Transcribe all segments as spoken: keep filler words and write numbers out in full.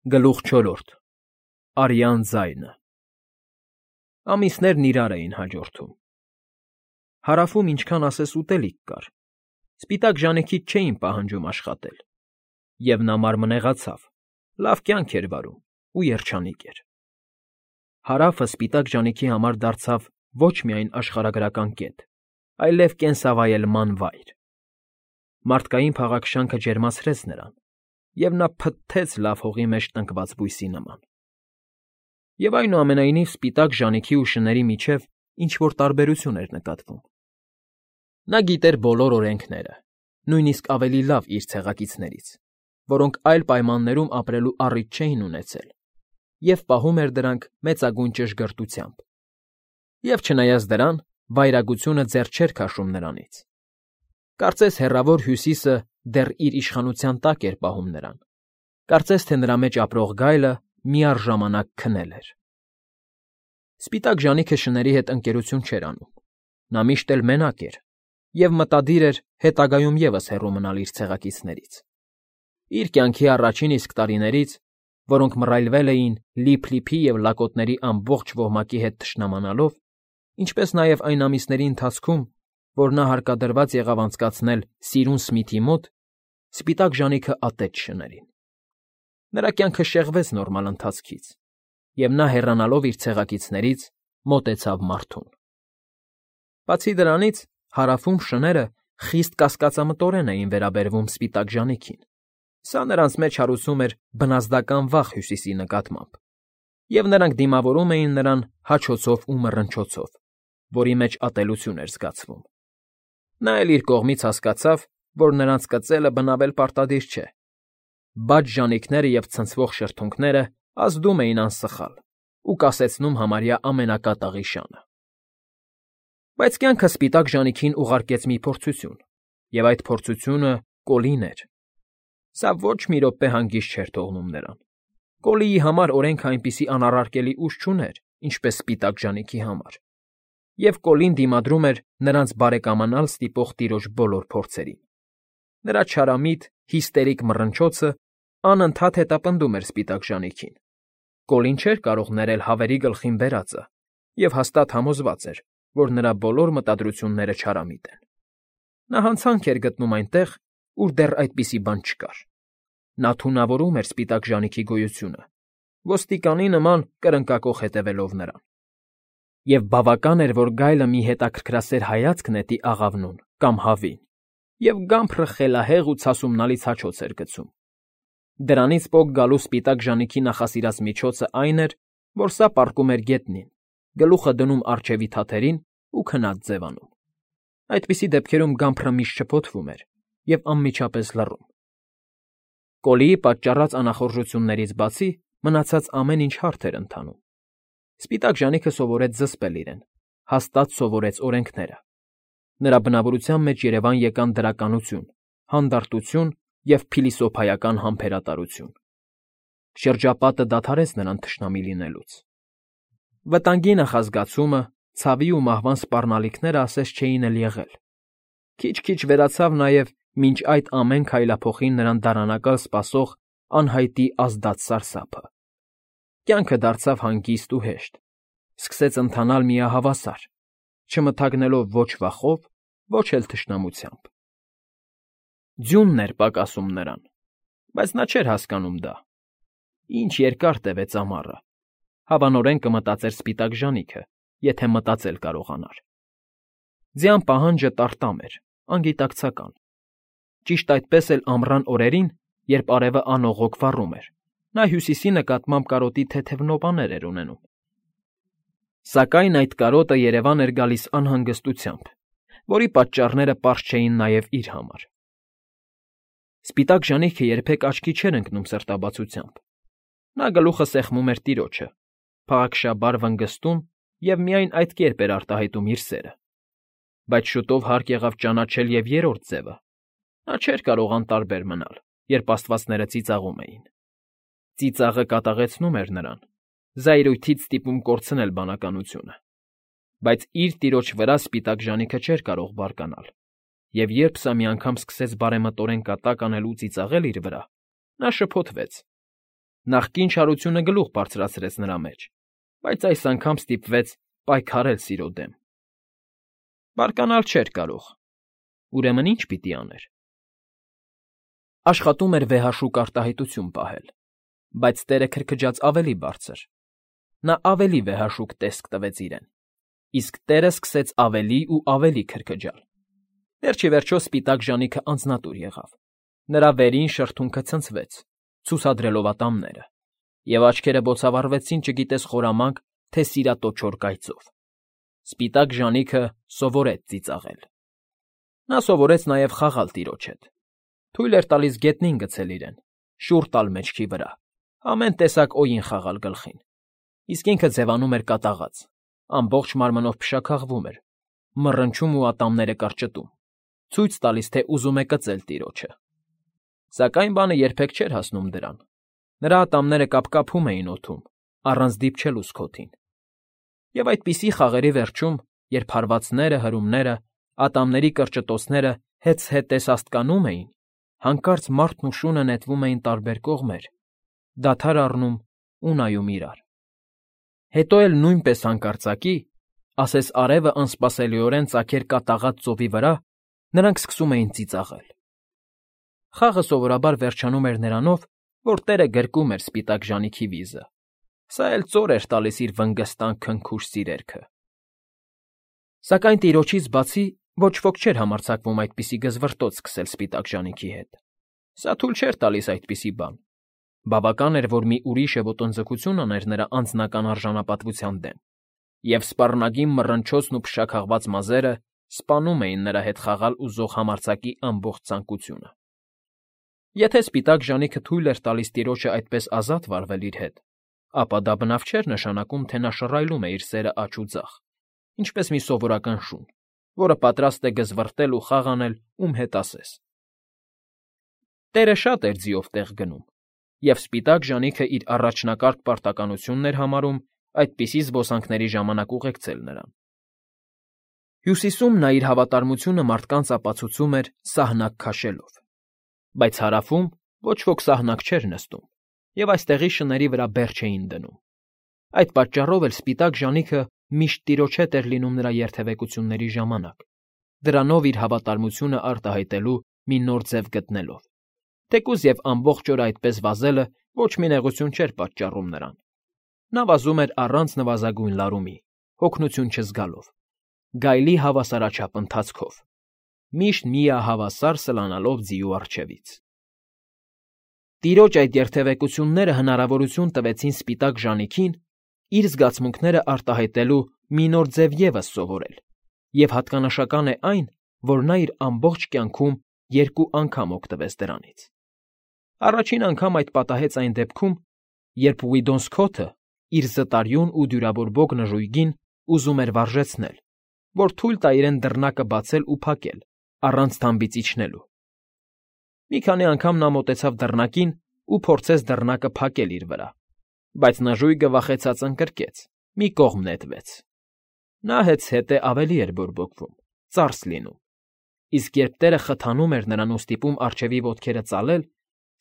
Գլուխ չորրորդ Արյան ձայնը Ամիսներն իրար էին հաջորդում։ Հարավում ինչքան ասես ուտելիք կար, սպիտակ ժանիքից չէին պահանջում աշխատել, և նա մարմնեղացավ, լավ կյանք էր վարում ու երջանիկ էր։ Հարավը սպիտակ ժանիքի համար դարձավ ոչ միայն աշխարհագրական կետ, այլև կենսավայելման վայր։ Մարդկային փաղաքշանքը ջերմացրեց նրան, և նա փթթեց լավ հողի մեջ տնկված բույսի նման։ Եվ այնուամենայնիվ սպիտակ ժանիքի ու շների միջև ինչ֊որ տարբերություն էր նկատվում։ Նա գիտեր բոլոր օրենքները, նույնիսկ ավելի լավ իր ցեղակիցներից, որոնք այլ պայմաններում ապրելու առիթ չէին ունեցել, և պահում էր դրանք մեծագույն ճշգրտությամբ։ Եվ չնայած դրան, վայրագությունը ձեռ չէր քաշում նրանից։ Կարծես հեռավոր Հյուսիսը դեռ իր իշխանության տակ էր պահում նրան, կարծես թե նրա մեջ ապրող գայլը միառժամանակ քնել էր։ Սպիտակ ժանիքը շների հետ ընկերություն չէր անում, նա միշտ էլ մենակ էր և մտադիր էր հետագայում ևս հեռու մնալ իր ցեղակիցներից։ Իր կյանքի առաջին իսկ տարիներից, որոնք մռայլվել էին Լիփ֊Լիփի և լակոտների ամբողջ ոհմակի հետ թշնամանալով, ինչպես նաև այն ամիսների ընթացքում, որ նա հարկադրված եղավ անցկացնել Սիրուն Սմիթի մոտ, սպիտակ ժանիքը ատեց շներին։ Նրա կյանքը շեղվեց նորմալ ընթացքից, և նա հեռանալով իր ցեղակիցներից մոտեցավ մարդուն։ Բացի դրանից, հարավում շները խիստ կասկածամտորեն էին վերաբերվում սպիտակ ժանիքին, սա նրանց մեջ հարուցում էր բնազդական վախ Հյուսիսի նկատմամբ, և նրանք դիմավորում էին նրան հաչոցով ու մռնչոցով, որի մեջ ատելություն էր զգացվում։ Նա էլ իր կողմից հասկացավ, որ նրանց կծելը բնավել պարտադիր չէ։ Բաց ժանիքները և ցնցվող շրթունքները ազդում էին անսխալ ու կասեցնում համարյա ամենակատաղի շանը։ Բայց կյանքը սպիտակ ժանիքին ուղարկեց մի փորձություն, և այդ փորձությունը Կոլին էր։ Սա ոչ մի րոպե հանգիստ չէր թողնում նրան։ Կոլիի համար օրենքը այնպիսի անառարկելի ուժ չուներ, ինչպես սպիտակ ժանիքի համար, և Կոլին դիմադրում էր նրանց բարեկամանալ ստիպող տիրոջ բոլոր փորձերին։ Նրա չարամիտ, հիստերիկ մռնչոցը անընդհատ հետապնդում էր սպիտակ ժանիքին։ Կոլին չէր կարող ներել հավերի գլխին բերածը և հաստատ համոզված էր, որ նրա բոլոր մտադրությունները չարամիտ են։ Նա հանցանք էր գտնում այնտեղ, ուր դեռ այդպիսի բան չկար։ Նա թունավորում էր սպիտակ ժանիքի գոյությունը, ոստիկանի նման կրնկակոխ հետևելով նրան։ Եվ բավական էր, որ գայլը մի հետաքրքրասեր հայացք նետի աղավնուն կամ հավին, և գամբրը խելահեղ ու ցասումնալից հաչոց էր գցում։ Դրանից պոկ գալու սպիտակ ժանիքի նախասիրած միջոցը այն էր, որ սա պառկում էր գետնին, գլուխը դնում առջևի թաթերին ու քնած ձևանում։ Այդպիսի դեպքերում գամբրը միշտ շփոթվում էր և անմիջապես լռում։ Կոլիի պատճառած անախորժություններից բացի մնացած ամեն ինչ հարթ էր ընթանում։ Սպիտակ ժանիքը սովորեց զսպել իրեն, հաստատ սովորեց օրենքները։ Նրա բնավորության մեջ երևան եկան դրականություն, հանդարտություն և փիլիսոփայական համբերատարություն։ Շրջապատը դադարեց նրան թշնամի լինելուց։ Վտանգի նախազգացումը, ցավի ու մահվան սպառնալիքները ասես չէին էլ եղել։ Քիչ֊քիչ վերացավ նաև մինչ այդ ամեն քայլափոխին նրան դարանակալ սպասող անհայտի ազդած սարսափը։ Կյանքը դարձավ հանգիստ ու հեշտ, սկսեց ընթանալ միահավասար, չմթագնելով ոչ վախով, ոչ էլ թշնամությամբ։ Ձյունն էր պակասում նրան, բայց նա չէր հասկանում դա։ Ինչ երկար տևեց ամառը, հավանորեն կմտածեր սպիտակ ժանիքը, եթե մտածել կարողանար։ Ձյան պահանջը տարտամ էր, անգիտակցական։ Ճիշտ այդպես էլ ամռան օրերին, երբ արևը անողոք վառում էր, նա Հյուսիսի նկատմամբ կարոտի թեթև նոպաներ էր ունենում։ Սակայն այդ կարոտը երևան էր գալիս անհանգստությամբ, որի պատճառները պարզ չէին նաև իր համար։ Սպիտակ ժանիքը երբեք աչքի չէր ընկնում սրտաբացությամբ։ Նա գլուխը սեղմում էր տիրոջը, փաղաքշաբար վնգստում և միայն այդ կերպ էր արտահայտում իր սերը։ Բայց շուտով հարկ եղավ ճանաչել և երրորդ ձևը։ Նա չէր կարող անտարբեր մնալ, երբ աստվածները ծիծաղում էին։ Ծիծաղը կատաղեցնում էր նրան, զայրույթից ստիպում կորցնել բանականությունը։ Բայց իր տիրոջ վրա սպիտակ ժանիքը չէր կարող բարկանալ, և երբ սա մի անգամ սկսեց բարեմտորեն կատակ անել ու ծիծաղել իր վրա, նա շփոթվեց։ Նախկին չարությունը գլուխ բարձրացրեց նրա մեջ, բայց այս անգամ ստիպվեց պայքարել սիրո դեմ։ Բարկանալ չէր կարող, ուրեմն ի՞նչ պիտի աներ։ Աշխատում էր վեհաշուկ արտահայտություն պահել, բայց տերը քրքջաց ավելի բարձր։ Նա ավելի վեհաշուկ տեսք տվեց իրեն, իսկ տերը սկսեց ավելի ու ավելի քրքջալ։ Վերջիվերջո սպիտակ ժանիքը անձնատուր եղավ, նրա վերին շրթունքը ցնցվեց, ցուսադրելով ատամները, և աչքերը բոցավառվեցին չգիտես խորամանկ, թե սիրատոչոր կայծով։ Սպիտակ ժանիքը սովորեց ծիծաղել։ Նա սովորեց նաև խաղալ տիրոջ հետ։ Թույլ էր տալիս գետնին գցել իրեն, շուռ տալ մեջքի վրա, ամեն տեսակ օյին խաղալ գլխին, իսկ ինքը ձևանում էր կատաղած, ամբողջ մարմնով փշաքաղվում էր, մռնչում ու ատամները կրճտում, ցույց տալիս, թե ուզում է կծել տիրոջը։ Սակայն բանը երբեք չէր հասնում դրան։ Նրա ատամները կապկապում էին օդում, առանց դիպչելու սկոթին։ Եվ այդպիսի խաղերի վերջում, երբ հարվածները, հրումները, ատամների կրճտոցները հեծհետես աստկանում էին, հանկարծ մարդն ու շունը նետվում էին տարբեր կողմեր, դադար առնում ու նայում իրար։ Հետո էլ նույնպես հանկարծակի, ասես արևը անսպասելիորեն ծագեր կատաղած ծովի վրա, նրանք սկսում էին ծիծաղել։ Խաղը սովորաբար վերջանում էր նրանով, որ տերը գրկում էր սպիտակ ժանիքի վիզը, սա էլ ծոր էր տալիս իր վնգստան քնքուշ սիրերքը։ Սակայն տիրոջից բացի ոչ ոք չէր համարձակվում այդպիսի գզվռտոց սկսել սպիտակ ժանիքի հետ։ Սա թույլ չէր տալիս այդպիսի բան։ Բավական էր, որ մի ուրիշը ոտնձգություն աներ նրա անձնական արժանապատվության դեմ, և սպառնագին մռնչոցն ու փշաքաղված մազերը սպանում էին նրա հետ խաղալ ուզող համարձակի ամբողջ ցանկությունը։ Եթե սպիտակ ժանիքը թույլ էր տալիս տիրոջը այդպես ազատ վարվել իր հետ, ապա դա բնավ չէր նշանակում, թե նա շռայլում է իր սերը աջ ու ձախ, ինչպես մի սովորական շուն, որը պատրաստ է գզվռտել ու խաղ անել ում հետ ասես։ Տերը շատ էր ձիով տեղ գնում, և սպիտակ ժանիքը իր առաջնակարգ պարտականությունն էր համարում այդպիսի զբոսանքների ժամանակ ուղեկցել նրան։ Հյուսիսում նա իր հավատարմությունը մարդկանց ապացուցում էր սահնակ քաշելով, բայց հարավում ոչ ոք սահնակ չէր նստում, և այստեղի շների վրա բեռ չէին դնում։ Այդ պատճառով էլ սպիտակ ժանիքը միշտ տիրոջ հետ էր լինում նրա երթևեկությունների ժամանակ, դրանով իր հավատարմությունը արտահայտելու մի նոր ձև գտնելով, թեկուզ և ամբողջ օրը այդպես վազելը ոչ մի նեղություն չէր պատճառում նրան։ Նա վազում էր առանց նվազագույն լարումի, հոգնություն չզգալով, գայլի հավասարաչափ ընթացքով, միշտ միահավասար սլանալով ձիու առջևից։ Տիրոջ այդ երթևեկությունները հնարավորություն տվեցին սպիտակ ժանիքին իր զգացմունքները արտահայտելու մի նոր ձև ևս սովորել, և հատկանշական է այն, որ նա իր ամբողջ կյանքում երկու անգամ օգտվեց դրանից։ Առաջին անգամ այդ պատահեց այն դեպքում, երբ Ուիդոնսքոթը իր զտարյուն ու դյուրաբորբոք նժույգին ուզում էր վարժեցնել, որ թույլ տա իրեն դռնակը բացել ու փակել, առանց թամբից իջնելու։ Մի քանի անգամ նա մոտեցավ դռնակին ու փորձեց դռնակը փակել իր վրա, բայց նժույգը վախեցած ընկրկեց, մի կողմ նետվեց։ Նա հետզհետե ավելի էր բորբոքվում, ծարս լինում, իսկ երբ տերը խթանում էր նրան ու ստիպում առջևի ոտքերը ծալել,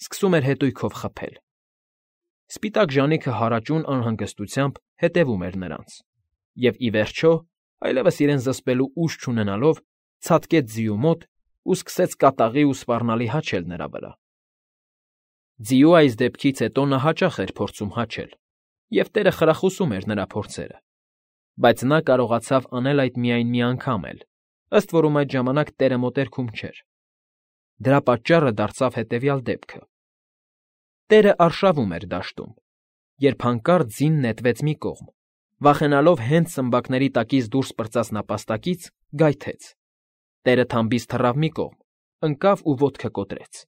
սկսում էր հետույքով խփել։ Սպիտակ ժանիքը հարաճուն անհանգստությամբ հետևում էր նրանց, և, ի վերջո, այլևս իրեն զսպելու ուժ չունենալով, ցատկեց ձիու մոտ ու սկսեց կատաղի ու սպառնալի հաչել նրա վրա։ Ձիու այս դեպքից հետո նա հաճախ էր փորձում հաչել, և տերը խրախուսում էր նրա փորձերը, բայց նա կարողացավ անել այդ միայն մի անգամ էլ, ըստ որում այդ ժամանակ տերը մոտերքում չէր։ Դրա պատճառը դարձավ հետևյալ դեպքը. Տերը արշավում էր դաշտում, երբ հանկարծ ձին նետվեց մի կողմ, վախենալով հենց սմբակների տակից դուրս պրծած նապաստակից, գայթեց։ Տերը թամբից թռավ մի կողմ, ընկավ ու ոտքը կոտրեց։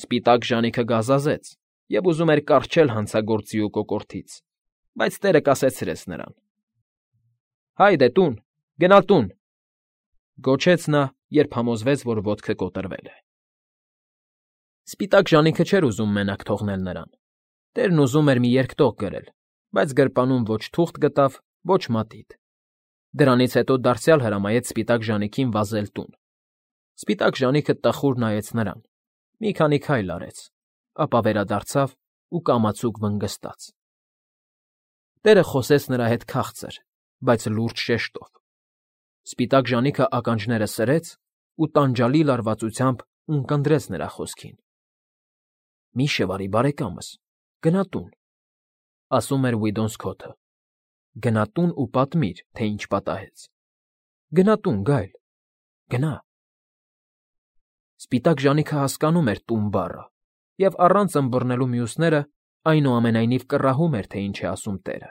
Սպիտակ ժանիքը գազազեց և ուզում էր կառչել հանցագործ ձիու կոկորդից, բայց տերը կասեցրեց նրան։ «Հայդե տուն, գնալ տուն», գոչեց նա, երբ համոզվեց, որ ոտքը կոտրվել է։ Սպիտակ ժանիքը չէր ուզում մենակ թողնել նրան։ Տերն ուզում էր մի երկտող գրել, բայց գրպանում ոչ թուղթ գտավ, ոչ մատիտ։ Դրանից հետո դարձյալ հրամայեց սպիտակ ժանիքին վազել տուն։ Սպիտակ ժանիքը տխուր նայեց նրան, մի քանի քայլ արեց, ապա վերադարձավ ու կամացուկ վնգստաց։ Տերը խոսեց նրա հետ քաղցր, բայց լուրջ շեշտով։ Սպիտակ ժանիքը ականջները սրեց ու տանջալի լարվածությամբ ունկնդրեց նրա խոսքին։ «Մի՛ շվարի, բարեկամս, գնա տուն», ասում էր Վիդոն Սքոթը։ «Գնա տուն ու պատմիր, թե ինչ պատահեց։ Գնա տուն, Գայլ, գնա»։ Սպիտակ ժանիքը հասկանում էր «տուն» բառը և առանց ըմբռնելու մյուսները, այնուամենայնիվ կռահում էր, թե ինչ է ասում տերը,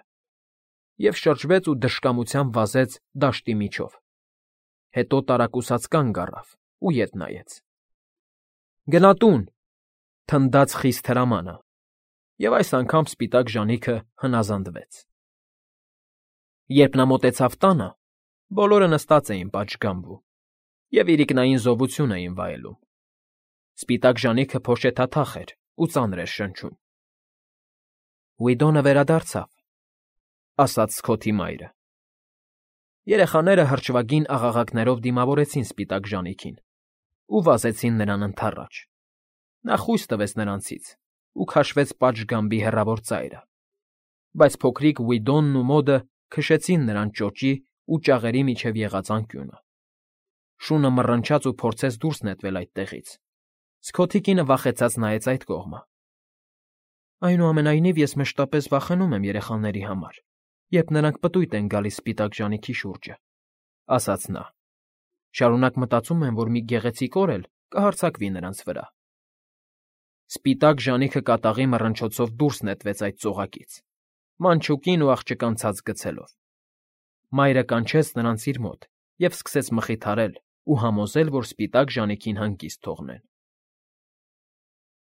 և շրջվեց ու դժկամությամբ վազեց դաշտի միջով, հետո տարակուսած կանգ առավ ու ետ նայեց։ «Գնա տուն», թնդաց խիստ հրամանը, և այս անգամ սպիտակ ժանիքը հնազանդվեց։ Երբ նա մոտեցավ տանը, բոլորը նստած էին պատշգամբում և իրիկնային զովություն էին վայելում։ Սպիտակ ժանիքը փոշեթաթախ էր ու ծանր էր շնչում։ «Վիդոնը վերադարձավ», ասաց Սքոթի մայրը։ Երեխաները հրճվագին աղաղակներով դիմավորեցին սպիտակ ժանիքին ու վազեցին նրան ընդառաջ։ Նա խույս տվեց նրանցից ու քաշվեց պատշգամբի հեռավոր ծայրը, բայց փոքրիկ Վիդոնն ու մոդը քշեցին նրան ճոճի ու ճաղերի միջև եղած անկյունը։ Շունը մռնչաց ու փորձեց դուրս նետվել այդտեղից։ Սքոթի կինը վախեցած նայեց այդ կողմը։ «Այնուամենայնիվ ես մշտապես վախենում եմ երեխաների համար, երբ նրանք պտույտ են գալիս սպիտակ ժանիքի շուրջը», ասաց նա։ «Շարունակ մտածում եմ, որ մի գեղեցիկ օր էլ կհարձակվի նրանց վրա»։ Սպիտակ ժանիքը կատաղի մռնչոցով դուրս նետվեց այդ ծողակից, մանչուկին ու աղջկան ցած գցելով։ Մայրը կանչեց նրանց իր մոտ և սկսեց մխիթարել ու համոզել, որ սպիտակ ժանիքին հանգիստ թողնեն։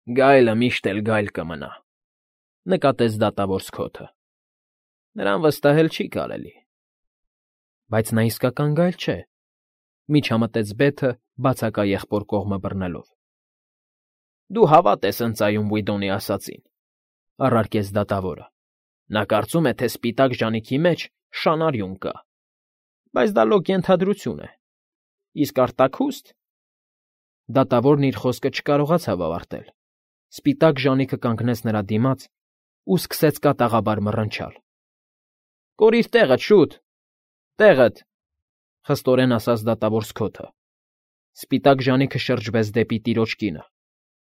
«Գայլը միշտ էլ գայլ կմնա», նկատեց դատավոր Սքոթը։ «Նրան վստահել չի կարելի»։ «Բայց նա իսկական գայլ չէ», միջամտեց Բեթը, բացակա եղբոր կողմը բռնելով։ «Դու հավատ ես ընծայում Վիդոնի ասածին», առարկեց դատավորը։ «Նա կարծում է, թե սպիտակ ժանիքի մեջ շան արյուն կա, բայց դա լոկ ենթադրություն է։ Իսկ արտաքուստ…» Դատավորն իր խոսքը չկարողացավ ավարտել։ Սպիտակ ժանիքը կանգնեց նրա դիմաց ու սկսեց կատաղաբար մռնչալ։ «Կորիր տեղդ, շուտ… Տեղդ…» խստորեն ասաց դատավոր Սքոթը։ Սպիտակ ժանիքը շրջվեց դեպի տիրոջ կինը։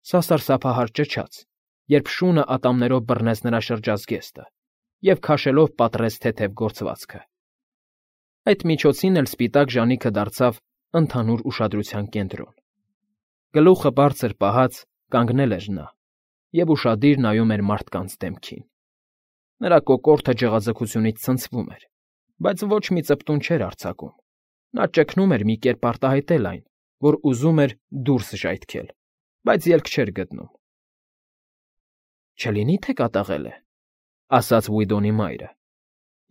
Սա սարսափահար ճչաց, երբ շունը ատամներով բռնեց նրա շրջած զգեստը և քաշելով պատռեց թեթև գործվածքը։ Այդ միջոցին էլ սպիտակ ժանիքը դարձավ ընդհանուր ուշադրության կենտրոն։ Գլուխը բարձր պահած կանգնել էր նա և ուշադիր նայում էր մարդկանց դեմքին։ Նրա կոկորդը ջղաձգությունից ցնցվում էր, բայց ոչ մի ծպտուն չէր արձակում։ Նա ճգնում էր մի կերպ արտահայտել այն, որ ուզում էր դուրս ժայթքել, բայց ելք չէր գտնում։ «Չլինի՞ թե կատաղել է», ասաց Վիդոնի մայրը։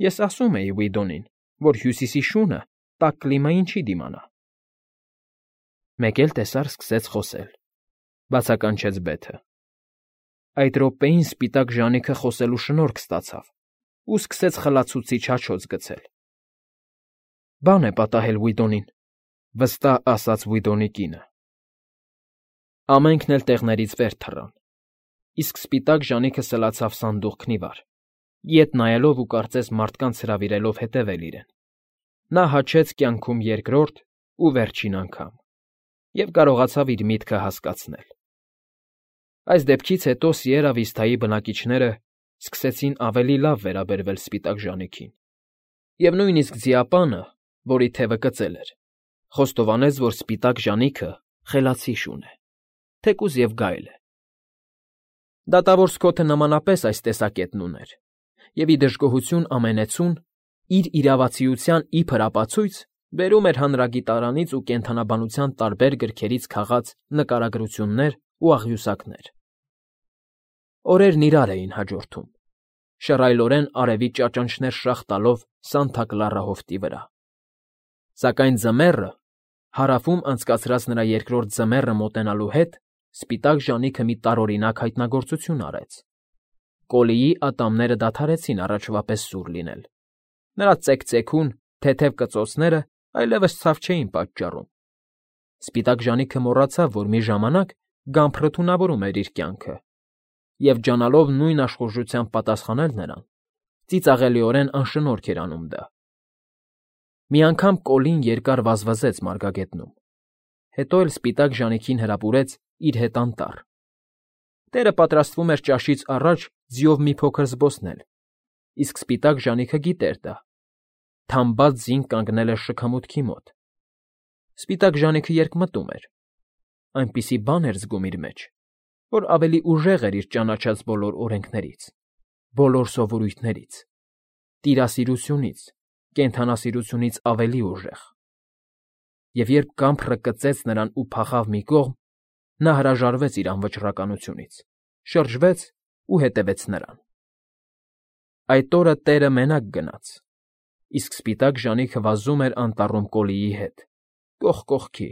«Ես ասում էի Վիդոնին, որ Հյուսիսի շունը տաք կլիմային չի դիմանա»։ Մեկ էլ տեսար սկսեց խոսել, բացականչեց Բեթը։ Այդ րոպեին սպիտակ ժանիքը խոսելու շնորք ստացավ ու սկսեց խլացուցիչ հաչոց գցել։ «Բան է պատահել Վիդոնին», վստահ ասաց Վիդոնի կինը։ Ամենքն էլ տեղներից վեր թռան, իսկ սպիտակ ժանիքը սլացավ սանդուղքն ի վար, ետ նայելով ու կարծես մարդկանց հրավիրելով հետևել իրեն։ Նա հաչեց կյանքում երկրորդ ու վերջին անգամ և կարողացավ իր միտքը հասկացնել։ Այս դեպքից հետո Սիերա Վիստայի բնակիչները սկսեցին ավելի լավ վերաբերվել սպիտակ ժանիքին, և նույնիսկ ձիապանը, որի թևը կծել էր, խոստովանեց, որ սպիտակ ժանիքը խելացի շուն է, թեկուզ և գայլ է։ Դատավոր Սքոթը նմանապես այս տեսակետն ուներ, և ի դժգոհություն ամենեցուն, իր իրավացիության իբր ապացույց բերում էր հանրագիտարանից ու կենդանաբանության տարբեր գրքերից քաղած նկարագրություններ ու աղյուսակներ։ Օրերն իրար էին հաջորդում, շռայլորեն արևի ճաճանճներ շաղ տալով Սանտա Կլարա հովտի վրա։ Սակայն ձմեռը, հարավում անցկացրած նրա երկրորդ ձմեռը մոտենալու հետ, սպիտակ ժանիքը մի տարօրինակ հայտնագործություն արեց։ Կոլիի ատամները դադարեցին առաջվա պես սուր լինել։ Նրա ծեքծեքուն, թեթև կծոցները այլևս ցավ չէին պատճառում։ Սպիտակ ժանիքը մոռացավ, որ մի ժամանակ գամփրը թունավորում էր իր կյանքը, և ջանալով նույն աշխուժությամբ պատասխանել նրան, ծիծաղելիորեն անշնորհք էր անում դա։ Մի անգամ Կոլին երկար վազվզեց մարգագետնում, հետո էլ սպիտակ ժանիքին հրապուրեց իր հետ անտառ։ Տերը պատրաստվում էր ճաշից առաջ ձիով մի փոքր զբոսնել, իսկ սպիտակ ժանիքը գիտեր դա. թամբած ձին կանգնել էր շքամուտքի մոտ։ Սպիտակ ժանիքը երկմտում էր, այնպիսի բան էր զգում իր մեջ, որ ավելի ուժեղ էր իր ճանաչած բոլոր օրենքներից, բոլոր սովորույթներից, տիրասիրությունից, կենդանասիրությունից ավելի ուժեղ։ Եվ երբ կամփրը կծեց նրան ու փախավ մի կողմ, նա հրաժարվեց իր անվճռականությունից, շրջվեց ու հետևեց նրան։ Այդ օրը Տերը մենակ գնաց, իսկ սպիտակ ժանիքը վազում էր անտառում Կոլիի հետ, կողք կողքի,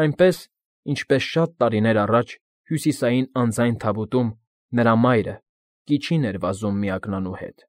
այնպես, ինչպես շատ տարիներ առաջ Հյուսիսային անձայն թավուտում նրա մայրը՝ Կիչին էր վազում միակնանու հետ։